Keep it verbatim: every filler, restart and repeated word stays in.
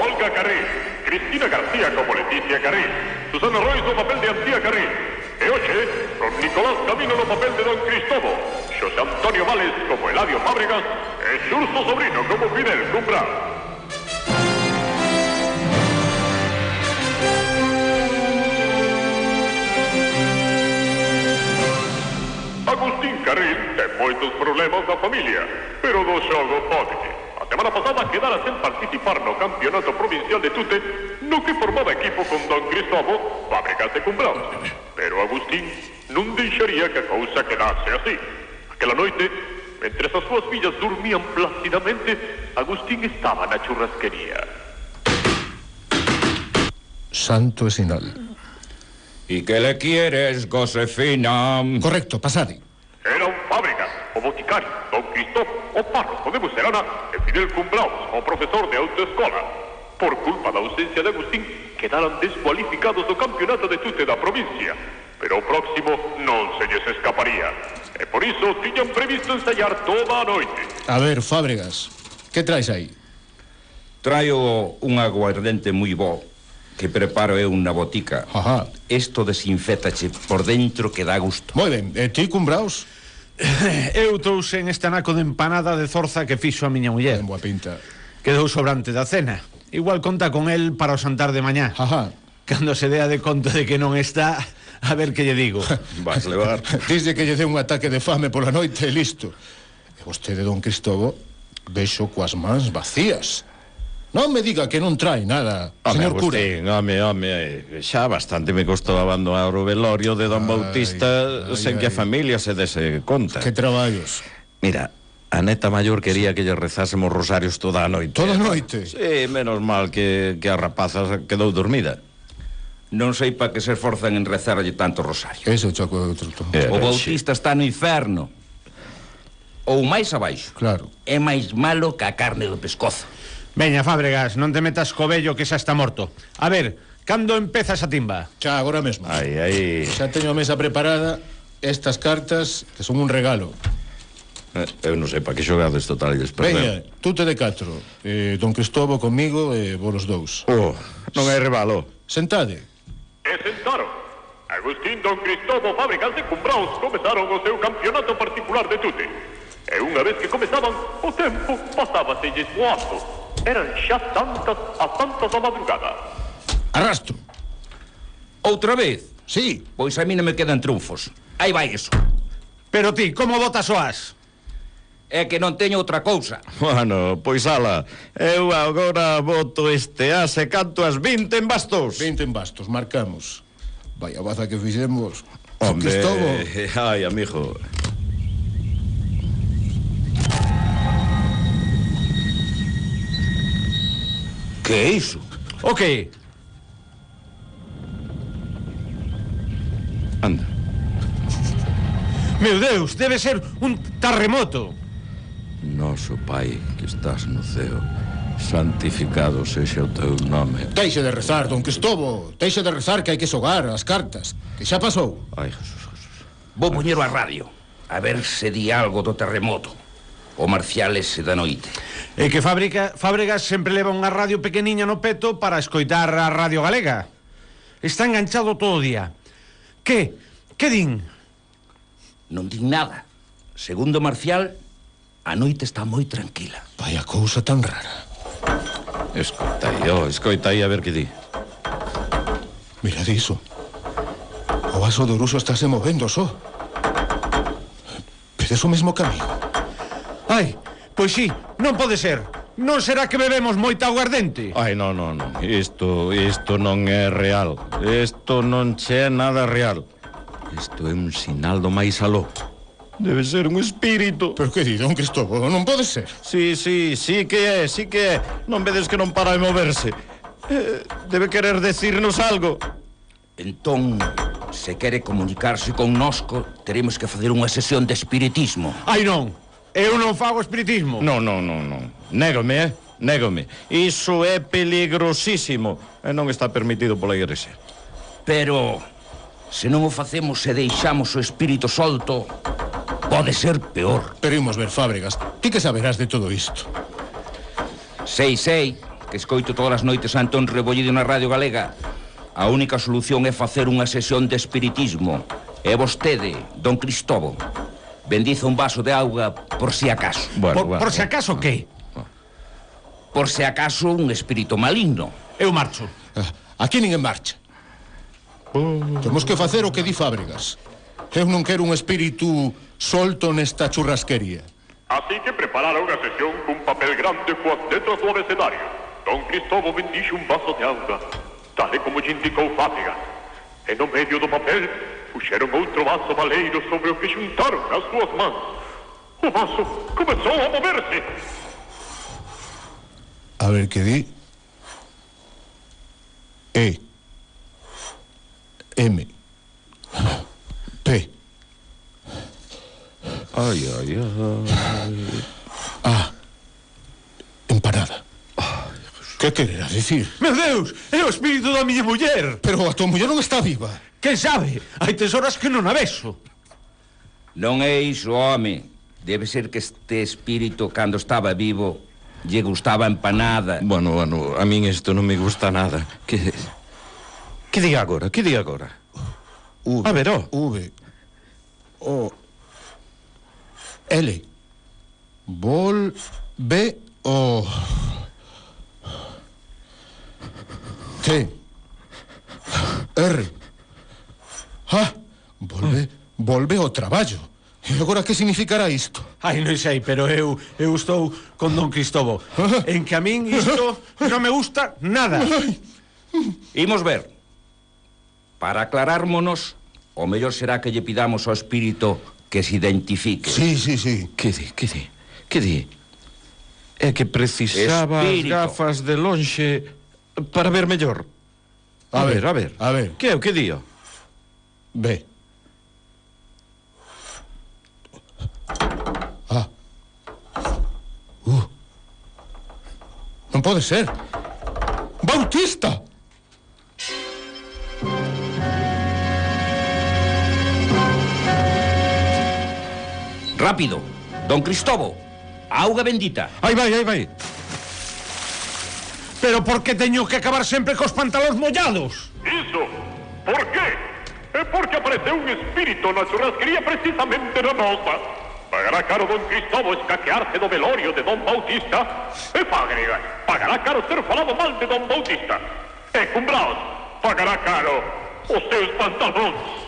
Olga Carril, Cristina García como Leticia Carril, Susana Roy no papel de Antía Carril, e hoxe, con Nicolás Camino no papel de Don Cristobo, Xosé Antonio Vales como Eladio Fábregas e Xurso Sobrino como Fidel Cumbral. Agustín Carril ten moitos problemas na familia, pero do xogo pode. A semana pasada quedara sen participar no campeonato provincial de Tute, no que formaba equipo con Don Cristobo, Fábregas e Cumbral. Pero Agustín non deixaría que a cousa quedase así. Aquela noite, mentre as súas fillas dormían plácidamente, Agustín estaba na churrasquería. Santo e sinal. ¿Y qué le quieres, Josefina? Correcto, pasade. Eran Fábregas, o boticario, Don Cristobo, o párroco de Bucerana e Fidel Cumbral, o profesor de autoescola. Por culpa da ausencia de Agustín, quedaran descualificados do campeonato de Tute da provincia. Pero o próximo non se lles escaparía. E por iso tiñan previsto ensayar toda a noite. A ver, Fábregas, que traes aí? Traio un aguardente moi bo que preparo eu na botica. Ajá. Isto desinfétache por dentro que dá gusto. Moi ben, e ti, Cumbraos? Eu trouxe en este anaco de empanada de zorza que fixo a miña muller. En boa pinta. Quedou sobrante da cena. Igual conta con el para o xantar de mañá. Ajá. Cando se dea de conto de que non está, a ver que lle digo. Vas levar. Disde que lle dé un ataque de fame pola noite e listo. E vostede, Don Cristobo, vexo coas mans vacías. Non me diga que non trae nada, Home, señor cura. Agustín, home, home, xa bastante me costou abandonar o velorio de Don Ai, Bautista ai, sen ai. que a familia se dese conta. Que traballos. Mira, a neta maior quería que lle rezásemos rosarios toda a noite. Toda a noite? Sí, menos mal que, que a rapaza quedou dormida. Non sei pa que se esforzan en rezarlle tanto rosario. Eso, Chaco, outro tono. Eh, O ben, Bautista está no inferno. Ou máis abaixo. Claro. É máis malo que a carne do pescozo. Veña, Fábregas, non te metas co vello que xa está morto. A ver, cando empeza esa timba? Xa, agora mesmo. Ai, ai. Xa teño a mesa preparada. Estas cartas que son un regalo. Eh, Eu non sei pa que xogades totalles, Veña, perdón. tú te de catro. eh, Don Cristobo comigo e vos os dous. Oh, non hai rebalo. Sentade. E sentaron. Agustín, Don Cristobo, Fábregas e Cumbraos comezaron o seu campeonato particular de Tute. E unha vez que comezaban, o tempo pasábaselles voando. Eran xa tantas a tantas da madrugada. Arrastro. Outra vez? Sí. Pois a mí non me quedan triunfos. Aí vai eso. Pero ti, como botas o as? É que non teño outra cousa. Bueno, pois ala, eu agora boto este as e canto as vinte en bastos. Vinte en bastos, marcamos. Vaya baza que fixemos. Don Hombre, Cristobo. ai, amigo. Que é iso? O que? Anda. Meu Deus, debe ser un terremoto. Noso Pai que estás no ceo, santificado sexa o teu nome. Deixe de rezar, Don Cristobo. Deixe de rezar que hai que xogar as cartas. Que xa pasou. Ai, Jesús, Jesús. Vou poñero a radio, a ver se di algo do terremoto. O marcial ese da noite. É que Fábrica, Fábregas sempre leva unha radio pequeniña no peto para escoitar a Radio Galega. Está enganchado todo o día. Que? Que din? Non din nada. Segundo o marcial, a noite está moi tranquila. Vaya cousa tan rara. Escoita aí, oh, escoita aí a ver que di. Mirad iso. O vaso do Oruso estáse movendo só. Vedes o mesmo camiño. Ai, pois sí, non pode ser. Non será que bebemos moita aguardente? Ai, non, non, non. Isto, isto non é real. Isto non che é nada real. Isto é un sinal do máis aló. Debe ser un espírito. Pero que di, Don Cristobo? Non pode ser. Sí, sí, sí que é, sí que é. Non vedes que non para de moverse. Eh, debe querer decirnos algo. Entón, se quere comunicarse con nosco, teremos que facer unha sesión de espiritismo. Ai, non. Eu non fago espiritismo. Non, non, non, non. Négome, eh? Négome. Iso é peligrosísimo e non está permitido pola Igrexa. Pero, se non o facemos e deixamos o espírito solto, pode ser peor. Pero imos ver, Fábregas. Ti que saberás de todo isto? Sei, sei, que escoito todas as noites a Antón Rebollido na Radio Galega. A única solución é facer unha sesión de espiritismo. E vostede, don Cristovo, bendiza un vaso de auga por si acaso. Bueno, por, bueno, por si acaso, que? Por si acaso un espírito maligno. Eu marcho. Aquí ninguén marcha. Temos que facer o que di Fábregas. Eu non quero un espírito solto nesta churrasquería. Así que prepararon a sesión cun papel grande coas letras do abecedario. Don Cristovo bendixe un vaso de auga, tal e como lle indicou Fábregas. E no medio do papel puxeron outro vaso baleiro sobre o que xuntaron as súas mans. O vaso comezou a moverse. A ver que di. E M P Ai, ai, ai. Ah, empanada. Que quererá dicir? Meu Deus, é o espírito da miña muller. Pero a tua muller non está viva. Quen sabe? Hai tesoras que non a vexo. Non é iso, home. Debe ser que este espírito, cando estaba vivo, lle gustaba empanada. Bueno, bueno, a min isto non me gusta nada. Que... Que di agora? Que di agora? V, A ver, ó. V O L Vol B O T R Ah, volve, volve ao traballo. E agora que significará isto? Ai, non sei, pero eu eu estou con don Cristovo. En que a min isto non me gusta nada. Imos ver. Para aclarármonos, o mellor será que lle pidamos ao espírito que se identifique. Sí, sí, sí. Que di, que di, que di? É que precisaba Espírito. as gafas de lonxe para ver mellor. A, A ver, ver, a ver. a ver. Que é o que dio? B A U Non pode ser. Bautista! Rápido, don Cristovo, auga bendita. Aí vai, aí vai. Pero por que teño que acabar sempre cos pantalóns mollados? Iso, por qué? É porque apareceu un espírito na churrasquería precisamente na nosa. Pagará caro don Cristovo escaquearse do velorio de don Bautista. E Fábregas, pagará caro ter falado mal de don Bautista. E Cumbraos, pagará caro os seus pantalóns.